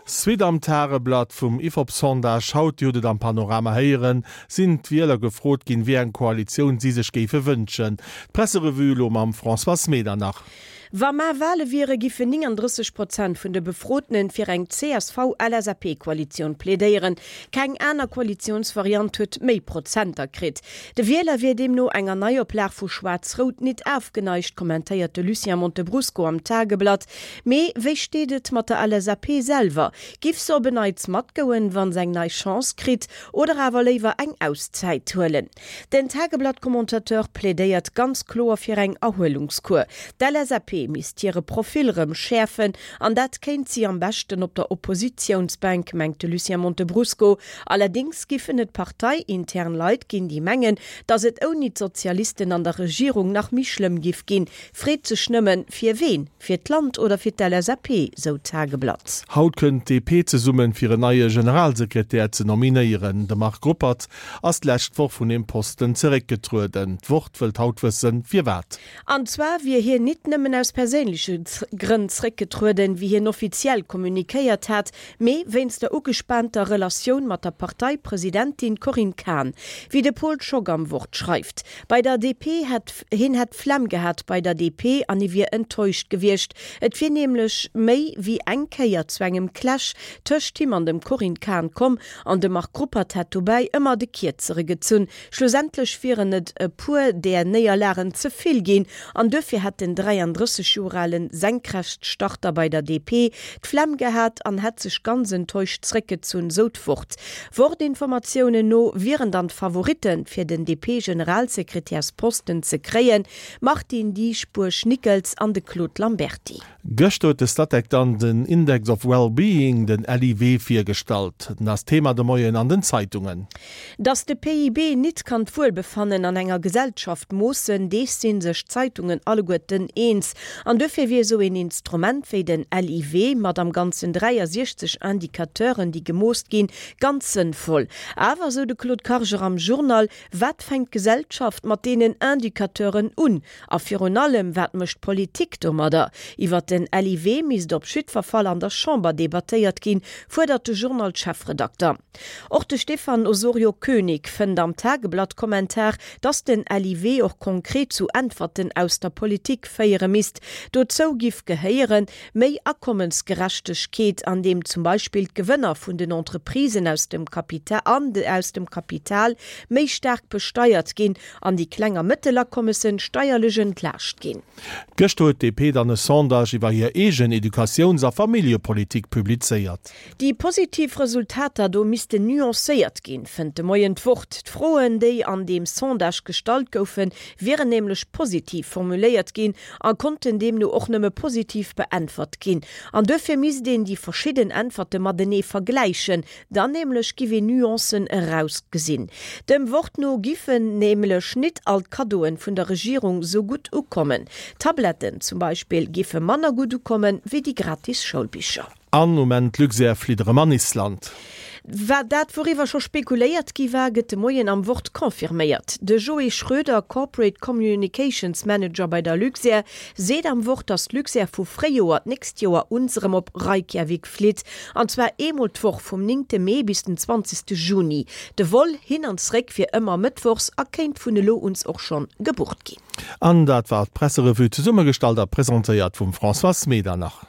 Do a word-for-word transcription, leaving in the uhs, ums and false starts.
Suite am Tageblatt vum Ifop-Sondage haut, Dir hutt et am Panorama héieren, sinn d'Wieler gefrot ginn, wéi eng Koalitioun si sech géife wënschen. D'Presserevue elo mam Françoise Medernach. Wa mar Wale wiere, giffen nénganddrësseg Prozent vun de Befrotenen fir eng C S V L S A P-Koalitioun plädéieren. Keng aner Koalitiounsvariant huet méi Prozenter kritt. De Wieler wier deemno enger Neioplag vu Schwaarz-Rout nit ofgeneigt, kommentéiert de Lucien Montebrusco am Tageblatt. Mee wéi steet et mat der L S A P selwer? Giff se op en Neits matgoen, wa se eng nei Chance kritt, oder awer léiwer eng Auszäit huelen? Den Tageblatt-Commentateur plädéiert ganz kloer fir eng Erhuelungskur. D'L S A P misst hire Profil rëm schäerfen an dat kéint si am beschten op der Oppositiounsbänk, mengt de Lucien Montebrusco. Allerdéngs giffen et parteiintern Leit ginn, déi mengen, datt et ouni d'Sozialisten an der Regierung nach méi schlëmm giff ginn. Freet sech nëmmen, fir ween? Fir d'Land oder fir d'L S A P, sou d'Tageblatt. Haut kënnt d'D P zesummen, fir en neie Generalsekretär ze nominéieren. De Marc Ruppert ass d'lescht Woch vun deem Posten zeréckgetrueden. D'Wort wëllt haut wëssen, firwat. An zwar wier hien nit nëmmen aus perséinleche Grënn zréckgetrueden, wéi hien offiziell kommunikéiert hat, mee wéinst der ugespaanter Relatioun mat der Parteipresidentin Corinne Cahen, wéi de Paul Schock am Wort schreift. Bei der D P hätt hien hätt d'Flemm gehat bei der D P an hie wier enttäuscht gewiescht. Et wier nämlech méi wéi eng Kéier zu engem Clash tëscht him an dem Corinne Cahen komm an de Marc Ruppert hätt dobäi ëmmer de Kierzere gezunn. Schlussendlech wieren et e puer där Néierlagen ze vill ginn an duerfir hätt den dräiandrësseg Joer ale Senkrechtstarter bei der D P d'Flemm gehat an hätt sech ganz enttäuscht zréckgezunn, sou d'Wort. Wort-Informatiounen no wieren dann d'Favoritten, fir den D P-Generalsekretärsposten ze kréien, Martine Dieschbourg-Nickels an de Claude Lamberty. Gëschter huet de Statec dann den Index of Well-Being, den L I W, virgestallt. Den ass Thema de Moien an den Zeitungen. Datt de P I B nit kann d'Wuelbefannen an enger Gesellschaft moossen, dees si sech d'Zeitungen alleguerten eens. An duerfir wier esou een Instrument wéi den L I W mat am Ganzen dräiasiechzeg Indicateuren, déi gemooss ginn, ganz sënnvoll. Awer, sou de Claude Karger am Journal, wat fänkt d'Gesellschaft mat deenen Indicateuren un? A virun allem, wat mécht d'Politik domadder? Iwwer den L I W misst op jiddwer Fall an der Chamber debattéiert ginn, fuerdert de Journal-Chefredakter. Och de Stefan Osorio Koenig fënnt am Tageblatt-Kommentar, datt den L I W och konkret zu Äntwerten aus der Politik féiere misst. Dozou giff gehéieren, méi Akommesgerechtegkeet, an deem zum Beispill d'Gewënner vun den Entreprisen aus dem Kapital an aus dem Kapital méi staark besteiert ginn an déi kleng a mëttel Akommessen steierlech entlaascht ginn. Gëschter huet d'D P dann e Sondage iwwer hir eegen Educatiouns a Familljepolitik publizéiert. Déi positiv Resultater do missten nuancéiert ginn, fënnt de Moien d'Wort. D'Froen, déi an deem Sondage gestallt goufen, wieren nämlech positiv formuléiert ginn a konnten deemno och nëmme positiv beäntwert ginn. An duerfir misst een déi verschidden Äntwerte matenee vergläichen, dann nämlech giff een Nuancen erausgesinn. Dem Wort no giffen nämlech nit all d'Kaddoen vun der Regierung sou gutt ukommen. Tabletten zum Beispill giffe manner gutt ukommen wéi déi gratis Schoulbicher. An um Enn d'Luxair flitt erëm an Island. Wat dat wouriwwer scho spekuléiert gi war, gëtt de Moien am Wort confirméiert. De Joé Schroeder, Corporate Communications Manager bei der Luxair, seet am Wort, datt d'Luxair vu Fréijoer d'nächst Joer un erëm op Reykjavik flitt, an zwar eemol d'Woch vum néngte Mee bis den zwanzegste Juni. De Vol hin an zréck wier ëmmer mëttwochs a kéint vun elo un och schonn gebucht ginn. An dat war d'Presserevue, zesummegestallt a presentéiert vum Françoise Medernach.